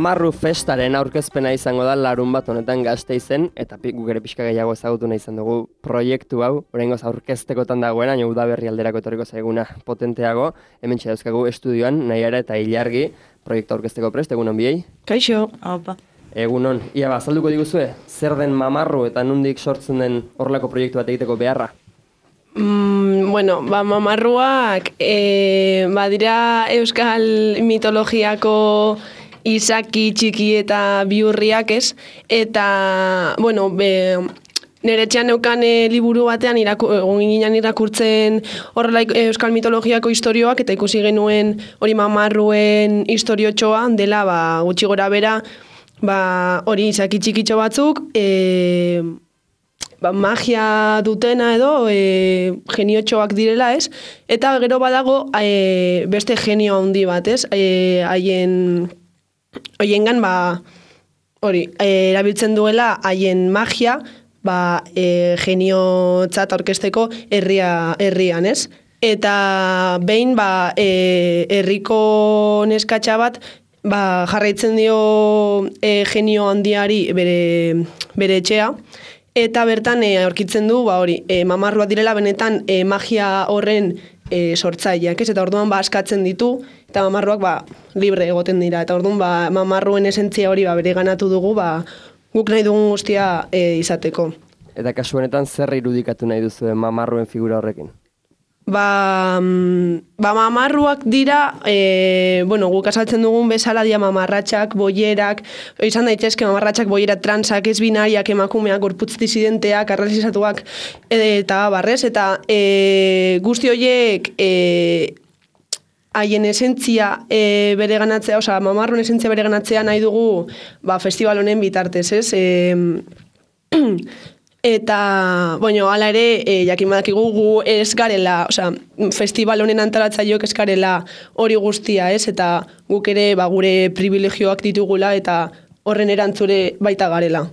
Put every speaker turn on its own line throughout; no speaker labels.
Mamarru festaren aurkezpena izango da larun bat honetan Gasteizen, eta guk ere pixka gehiago ezagutu nahi izan dugu proiektu hau, oraingoz aurkeztekotan dagoena, baina udaberri alderako etorriko zaiguna potenteago, hementxe dauzkagu estudioan, Naiara eta Ilargi, proiektu aurkezteko prest, egunon biei?
Kaixo, opa.
Egunon, ia azalduko diguzue, zer den Mamarru eta nondik sortzen den horrelako proiektu bat egiteko beharra?
Mamarruak badira euskal mitologiako izaki, txiki eta biurriak ez, eta, nire etxean neukan liburu batean egon ginen irakurtzen horrela euskal mitologiako istorioak, eta ikusi genuen hori Mamarruen istoriotxoa dela, gutxi gora bera, hori izaki txikitxo batzuk, magia dutena edo geniotxoak direla, ez? Eta gero badago beste genio handi bat, ez? Hoiengan erabiltzen duela haien magia, geniotzat aurkezteko herrian, ez? Eta behin herriko neskatxa bat jarraitzen dio genio handiari bere etxea, eta bertan aurkitzen du Mamarruak direla benetan magia horren sortzaileak, ez? Eta orduan askatzen ditu, eta Mamarruak libre egoten dira, eta orduan Mamarruen esentzia hori bereganatu dugu, guk nahi dugun guztia izateko.
Eta kasu honetan zer irudikatu nahi duzu Mamarruen figura horrekin?
Mamarruak dira, guk azaltzen dugun bezala dira mamarratxak, boierak, izan daitezke mamarratxak, boierak, transak, ez binariak, emakumeak, gorputz disidenteak, arrazizatuak, eta barrez, eta guzti horiek haien esentzia bereganatzea, Mamarruen esentzia bereganatzea nahi dugu festival honen bitartez, ez? Eta, hala ere, jakin badakigu gu ez garela, festival honen antolatzaileok ez garela hori guztia, ez? Eta guk ere gure privilegioak ditugula eta horren erantzure baita garela.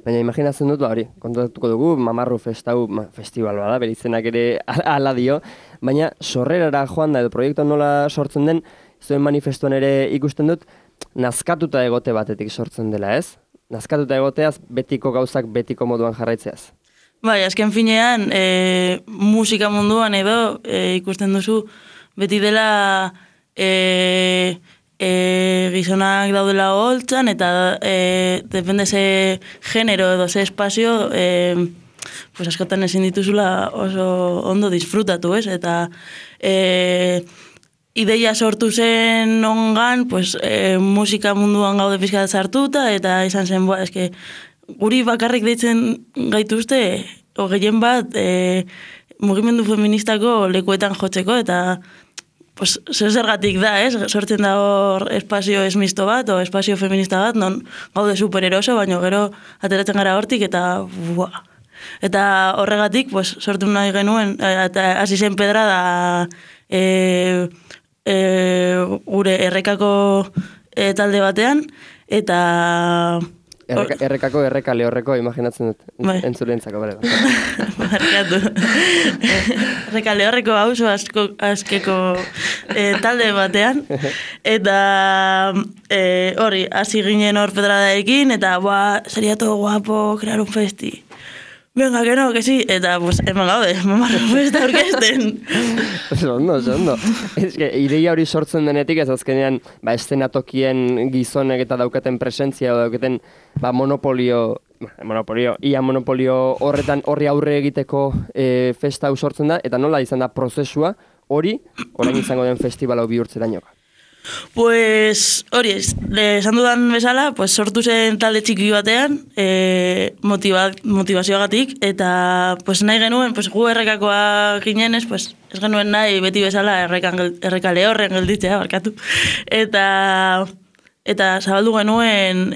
Baina imaginatzen dut, hori, kontatuko dugu, Mamarru festival bada, bere izenak ere ala dio, baina sorrerara joan da edo proiektu nola sortzen den, zuen manifestuan ere ikusten dut, nazkatuta egote batetik sortzen dela, ez? Nazkatuta egoteaz, betiko gauzak betiko moduan jarraitzeaz.
Azken finean, musika munduan edo ikusten duzu, beti dela gizonak daudela holtzan, eta depende ze genero edo ze espazio, askotan ezin dituzula oso ondo disfrutatu, ez? Eta ideia sortu zen ongan, musika munduan gaude pizka sartuta, eta izan zen, guri bakarrik deitzen gaituzte, gehien bat, mugimendu feministako lekuetan jotzeko, eta zergatik da, ez? Sortzen da hor espazio esmisto bat, o espazio feminista bat, non gaude supereroso, baina gero ateratzen gara hortik, eta eta horregatik, sortu nahi genuen, eta hasi zen pedrada, gure errekako talde batean, eta...
Errekale horreko, imaginatzen dut, entzulentzako, bale.
Barkatu. Errekale horreko hauzo askeko talde batean, eta hori, hasi ginen hor pedradaekin, eta sería todo guapo crear un festi. Venga, que sí, eta eman gaude, Mamarru festa orkesten.
Ondo. Ez que, ideia hori sortzen denetik, ez azkenean, estenatokien gizonek eta daukaten presentzia, daukaten monopolio horretan horri aurre egiteko festa hau sortzen da, eta nola izan da prozesua hori, orain izango den festival hau bihurtzerainoa.
Hori ez, esan dudan bezala, sortu zen talde txiki batean, motivazioagatik, eta nahi genuen, gu errekakoak ginen ez genuen nahi beti bezala errekale horren gelditzea, barkatu. Eta zabaldu genuen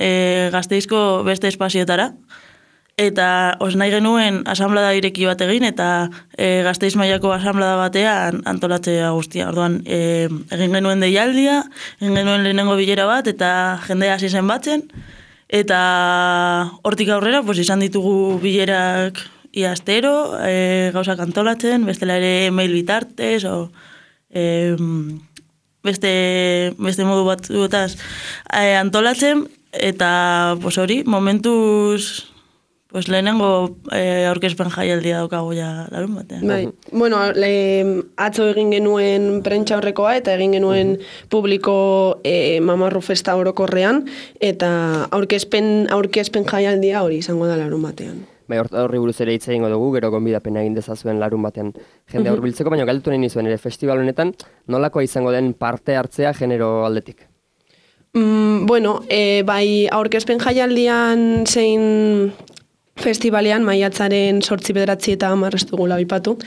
Gasteizko beste espazioetara, eta nahi genuen asamblada ireki bat egin, eta Gasteiz mailako asamblada batean antolatzea guztia. Orduan, egin genuen deialdia, egin genuen lehenengo bilera bat, eta jendea hasi zen batzen, eta hortik aurrera, izan ditugu bilerak iaztero, gauzak antolatzen, bestela ere mail bitartez, beste modu batzuetaz antolatzen, eta pues hori, momentuz pues lehenengo aurkezpen jaialdia daukago ja larun batean.
Bai. Bueno, atzo egin genuen prentsa horrekoa eta egin genuen publiko Mamarru festa orokorrean eta aurkezpen jaialdia hori izango da larun batean.
Bai, horri buruz ere hitz egingo dugu, gero gonbidapena egin dezazuen larun batean jende hurbiltzeko, baina galdetu nahi nizuen ere festival honetan nolakoa izango den parte hartzea genero aldetik?
Bueno, bai aurkezpen jaialdian zein festivalean maiatzaren 8, 9 eta 10 ez dugula aipatu.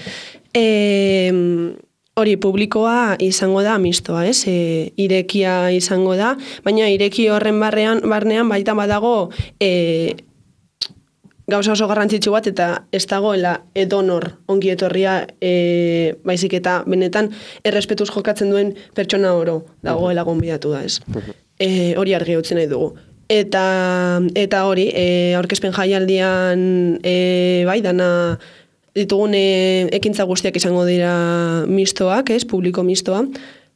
Hori publikoa izango da mistoa, ez? Irekia izango da, baina ireki horren barnean baita badago gauza oso garrantzitsu bat eta ez dagoela edonor ongi etorria baizik eta benetan errespetuz jokatzen duen pertsona oro dagoela gonbidatu da, ez? Hori argi utzi nahi dugu. Eta hori, aurkezpen jaialdian bai, dana ditugun ekintza guztiak izango dira mistoak, ez, publiko mistoa.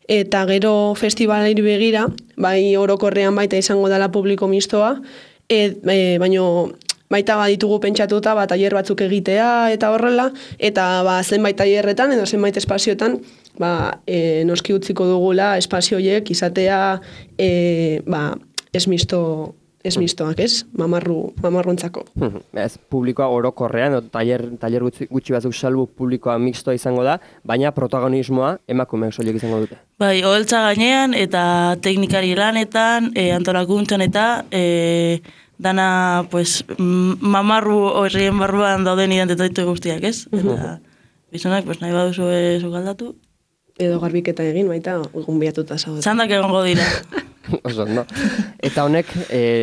Eta gero festivalari begira, bai orokorrean baita izango dela publiko mistoa, baino baita ditugu pentsatuta tailer batzuk egitea eta horrela, eta zenbait tailerretan edo zenbait espazioetan noski utziko dugula espazio horiek izatea ez mistoak, ez? Mamarrontzako.
Ez, publikoa orokorrean, tailer gutxi batzuk salbu publikoa mixtoa izango da, baina protagonismoa emakumeak soilik izango dute.
Bai, oholtza gainean eta teknikari lanetan, antolakuntzan eta dana, pues, mamarru horrien barruan dauden identitate guztiak, ez? Eta bizonak, pues, nahi baduzu zukaldatu.
Edo garbiketa egin, baita, gonbidatuta zaude.
Txandak egongo dira.
Oso, no? Eta honek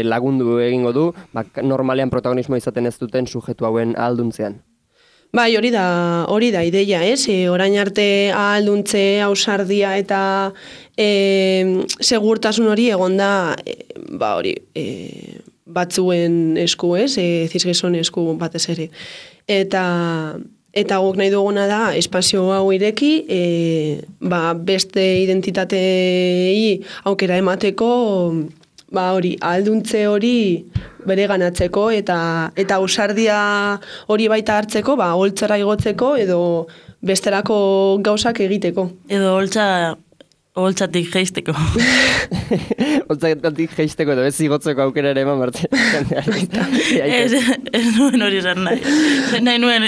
lagundu egingo du, normalean protagonismo izaten ez duten sujetu hauen ahalduntzean.
Bai, hori da ideia, ez? Orain arte ahalduntze, ausardia eta segurtasun hori egonda, batzuen esku, ez? Zizgizon esku batez ere. Eta guk nahi duguna da, espazio hau ireki, beste identitatei aukera emateko, ahalduntze hori bere ganatzeko, eta ausardia hori baita hartzeko, holtzara igotzeko, edo besterako gauzak egiteko.
Edo holtzatik jeisteko.
Holtzatik jeisteko edo ez igotzeko aukera ere eman barte.
Ez nuen hori zan nahi. Nahi nuen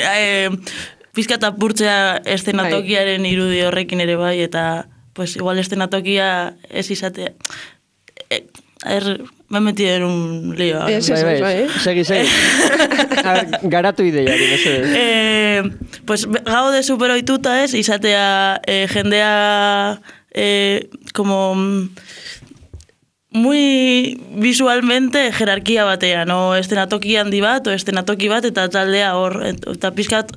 pizkat apurtzea eszenatokiaren irudi horrekin ere bai, eta pues igual eszenatokia ez izatea. Me he metido en un lío.
Segi. Garatu ideiari,
pues gaude superoituta ez, izatea jendea como muy visualmente jerarkia batean, o eszenatoki handi bat, o eszenatoki bat, eta taldea hor, eta pizkat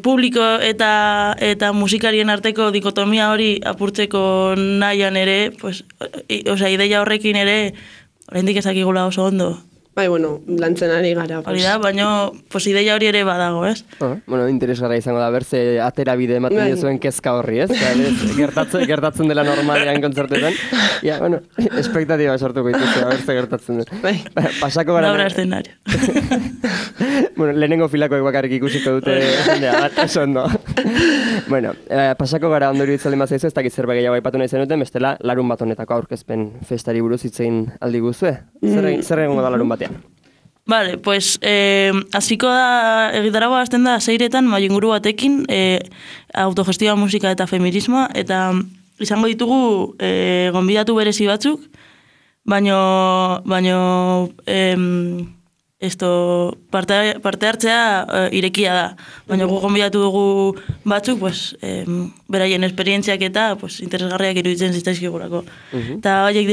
publiko eta musikarien arteko dikotomia hori apurtzeko nahian ere, pues, ideia horrekin ere, oraindik ezakigula oso ondo.
Bai, bueno, lantzen ari gara.
Hori da, baina ideia hori ere badago, ez?
Bueno, interesgarra izango da, berze atera bide ematen dizuen kezka horri, ez? Gertatzen dela normalean kontzertetan. Ja, bueno, espektatiba sortuko ikusi, berze gertatzen den.
Bai.
Pasako gara...
Laura eszenario.
Bueno, lehenengo filakoek bakarrik ikusiko dute jendea, oso ondo. Bueno, pasako gara ondori itzalden bat zaizu, ez dakit zerbait gehiago aipatu nahi zenuten, bestela larun bat honetako aurkezpen festari buruz hitzein aldi guzue. Zer egongo da larun batean?
Vale, pues hasiko da, egitaragoa hasten da 6etan mailinguru batekin, autogestioa, musika eta feminismoa, eta izango ditugu gonbidatu berezi batzuk, baino parte hartzea irekia da. Baina gu gonbidatu dugu batzuk, pues, beraien esperientziak eta pues, interesgarriak iruditzen zitzaizkigurako. Eta horiek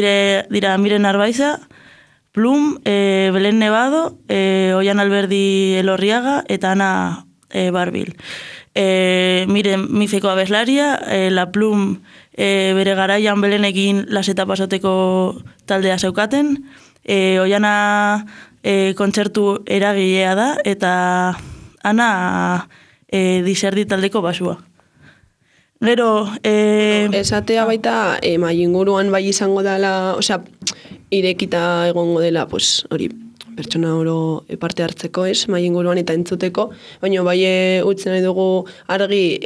dira Miren Arbaiza, Plum, Belen Nevado, Oian Alberdi Elorriaga eta Ana Barbil. Miren Mifeko abeslaria, La Plum bere garaian Belenekin laseta pasoteko taldea zeukaten, Oiana kontzertu eragilea da, eta Ana diserdi taldeko basua. Gero,
Esatea baita, inguruan bai izango dela, osea, irekita egongo dela, pues, hori, pertsona oro parte hartzeko, ez, inguruan eta entzuteko, baina bai utzen nahi dugu argi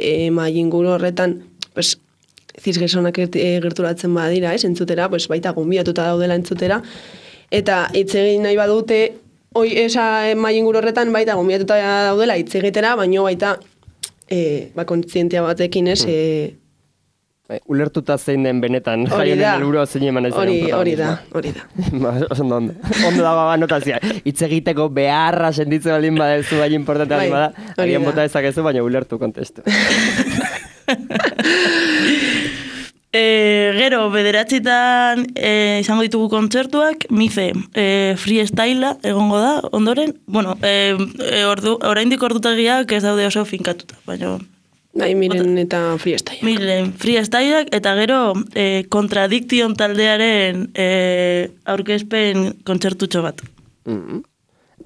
inguru horretan, pues, zizgezonak gerturatzen badira, ez, entzutera, pues, baita gonbidatuta daudela entzutera, eta hitz egin nahi badute, inguru horretan baita gonbidatuta daudela hitz egitera, baina baita kontzientia batekin, ez,
ulertuta zein den benetan, jaionen helburua zein eman ez den.
Hori da.
Ondo dago notazia. Hitz egiteko beharra sentitzen baldin badezu bai importantea baldin bada, agian bota dezakezu, baina ulertu kontestu.
Gero, 9:00 izango ditugu kontzertuak, Mife, freestylea egongo da, ondoren. Bueno, oraindik ordutagiak ez daude oso finkatuta, baina...
Miren eta freestyle.
Miren freestyleak eta gero Contradiction taldearen aurkezpen kontzertutxo bat.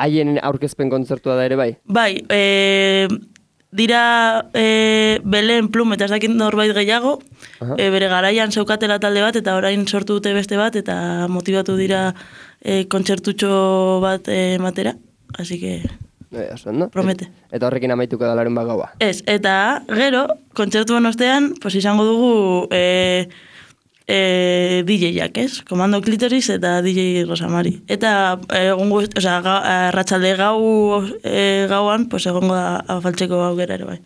Haien aurkezpen kontzertua da ere bai?
Bai, dira Belen Plum eta ez dakit norbait gehiago, bere garaian zeukatela talde bat eta orain sortu dute beste bat eta motibatu dira kontzertutxo bat matera, así que... Promete.
Eta horrekin amaituko da larun gaua.
Ez, eta gero, kontzertuen ostean, pues izango dugu DJ-ak, ez? Komando Klitoris eta DJ Rosamari. Eta arratsalde gauan, pues egongo da afaltzeko aukera ere bai.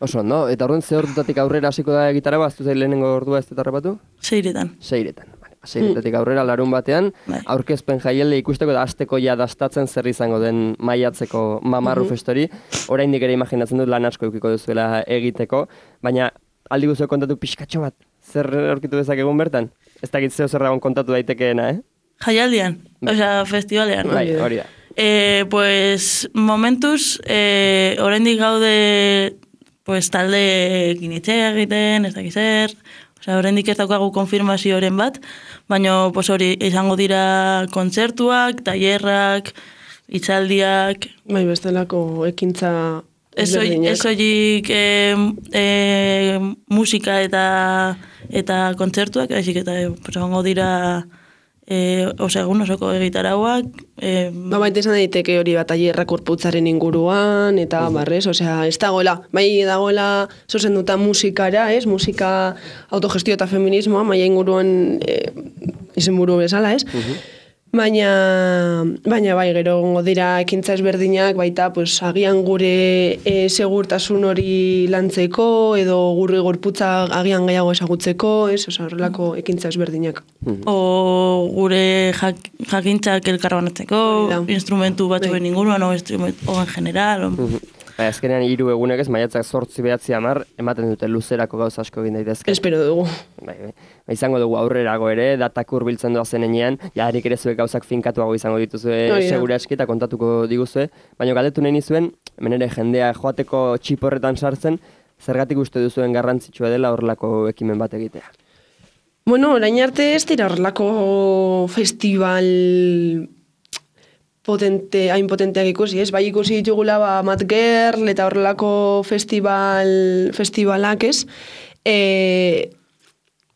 Oso, no? Eta orduan ze ordutatik aurrera hasiko da gitara baztu zail lehenengo ordua ez eta rapatu?
6:00.
6:00. Seiretatik aurrera larun batean, aurkezpen jaialdi ikusteko da asteko ja dastatzen zer izango den maiatzeko Mamarru festori. Oraindik ere imaginatzen dut lan asko edukiko duzuela egiteko, baina aldi guztiok kontatu pixkatxo bat, zer aurkitu dezakegun bertan? Ez dakit zeo zer dagoen kontatu daitekeena,
Jaialdian, osea, festivalean.
Bai, hori da.
Pues, momentuz, oraindik gaude pues, talde ginitxea egiten, ez dakit zer... Oraindik ez daukagu konfirmazioren bat, baina hori izango dira kontzertuak, tailerrak, hitzaldiak...
Bai, bestelako ekintza ezberdinak.
Ez horiek musika eta kontzertuak, baizik eta izango dira egun osoko egitarauak.
Baita izan daiteke hori bat tailerrak gorputzaren inguruan, eta barrez, ez dagoela, bai dagoela zuzenduta musikara, musika autogestio eta feminismoa, maia inguruan izenburu bezala, Baina bai, gero gongo dira ekintza ezberdinak, baita agian gure segurtasun hori lantzeko, edo gure gorputza agian gehiago ezagutzeko, horrelako ekintza ezberdinak.
O gure jakintzak elkarbanatzeko, instrumentu batzuen inguruan, o en general.
Azkenean 3 egunek ez, maiatzak 8-9-10 ematen dute luzerako gauza asko egin daitezke.
Espero dugu.
Izango dugu aurrerago ere, datak hurbiltzen doazen enean, jarik ere zuek gauzak finkatuago izango dituzue segura eski eta kontatuko diguzue. Baina galdetu nahi nizuen, hemen ere jendea joateko txiporretan sartzen, zergatik uste duzuen garrantzitsua dela horrelako ekimen bat egitea?
Bueno, orain arte ez dira horrelako festival hain potenteak ikusi, ez? Bai ikusi ditugula Mad Girl eta horrelako festivalak, ez?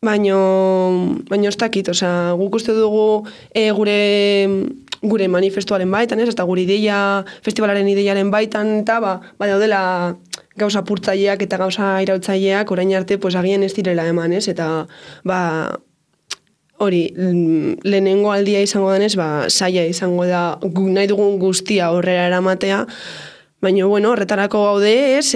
Baina ez dakit, guk uste dugu gure manifestuaren baitan, ez? Eta gure ideia, festivalaren ideiaren baitan, eta daudela gauza purtzaileak eta gauza irautzaileak orain arte agian ez direla eman, ez? Eta hori, lehenengo aldia izango denez, saia izango da nahi dugun guztia horrela eramatea, baina, horretarako gaude, ez,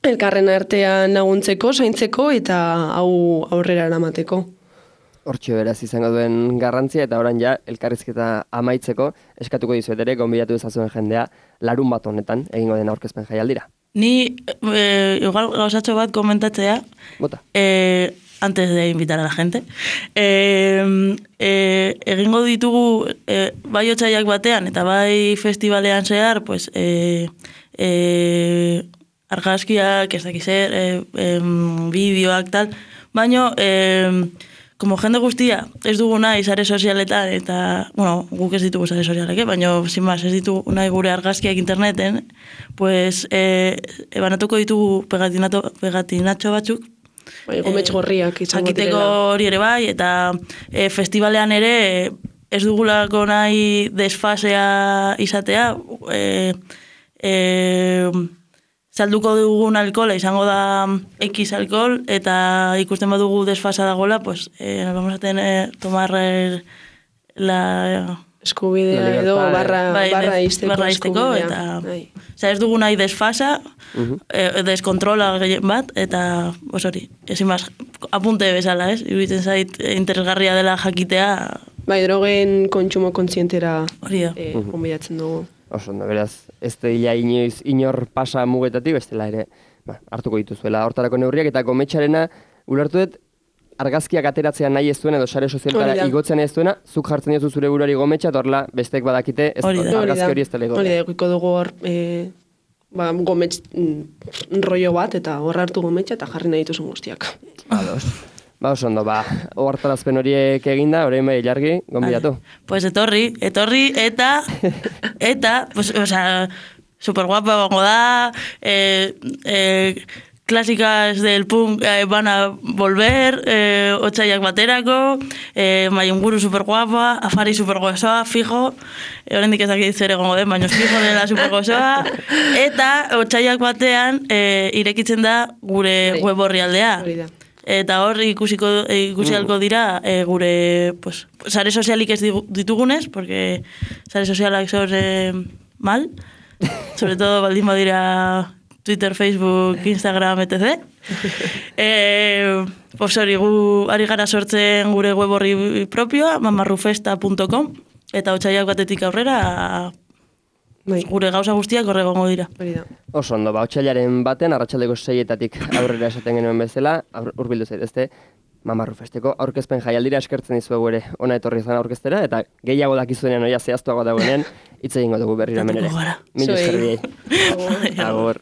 elkarren artean laguntzeko, zaintzeko, eta hau aurrera eramateko.
Hortxe beraz izango duen garrantzia, eta orain ja, elkarrizketa amaitzeko, eskatuko dizuet ere, gonbidatu ezazuen jendea, larun bat honetan, egingo den aurkezpen jaialdira.
Ni, igual gauzatxo bat komentatzea,
Bota.
Antes de invitar a la gente. Egingo ditugu bai otsaiak batean eta bai festivalean zehar, pues, argazkiak, ez dakiz zer, bideoak tal, baino como jende guztia, ez dugu nahi sare sozialetan, eta, bueno, guk ez ditugu sare sozialek, baina, sin más, ez ditugu nahi gure argazkiak interneten, pues, banatuko ditugu pegatinatxo batzuk,
Gomets gorriak izango direla.
Jakiteko hori ere bai, eta festivalean ere ez dugulako nahi desfasea izatea, salduko dugun alkohola izango da X alkohol, eta ikusten badugu desfasa dagoela, pues nos vamos a tener tomar la
eskubidea edo barra izteko
eskubidea. Ez dugu nahi desfasa, deskontrola gehien bat, eta hori, ezin maz, apunte bezala, ez? Iruditzen zait interesgarria dela jakitea.
Bai, drogen kontsumo kontzientera konbidatzen dugu.
Oso, beraz, ez da inoiz inor pasa mugetatik, bestela ere hartuko dituzuela hortarako neurriak, eta Gometxarena ulertu dut, argazkiak ateratzea nahi ez duena edo sare sozialtara igotzea nahi ez duena, zuk jartzen diozu zure buruari Gometxa, eta horrela bestek badakite argazki hori ez dela igotzea.
Hori da, ikuiko dugu hor Gometx rollo bat, eta hor hartu Gometxa eta jarri nahi dituzun guztiak.
Oso ondo, ohartarazpen horiek eginda, orain bai Ilargi, gonbidatu.
Pues etorri, eta, pues, o sea, super guapa gongo da, clásicas del punk van a volver, otsaiak baterako, Mayunguru super guapa, Afari super gozoa, fijo, oraindik ez dakit zer egongo den, baina fijo dela super gozoa, eta otsaiak batean irekitzen da gure web orrialdea. Eta hor ikusi alko dira gure pues, sare sozialik ez ditugunez, porque sare sozialak son mal, sobre todo baldin badira Twitter, Facebook, Instagram, etc. Pues hori, gu ari gara sortzen gure web horri propioa, mamarrufesta.com, eta otsaiak batetik aurrera gure gauza guztiak horregongo dira.
Oso ondo, otsailaren baten, arratsaldeko 6-etatik aurrera esaten genuen bezala, hurbildu zaitezte, Mamarrufesteko aurkezpen jaialdira eskertzen dizuegu ere ona etorri izan aurkeztera, eta gehiago dakizuenean oia zehaztuago dagoenean, hitz egingo dugu berriro hemen ere. Mil esker biei. Agur.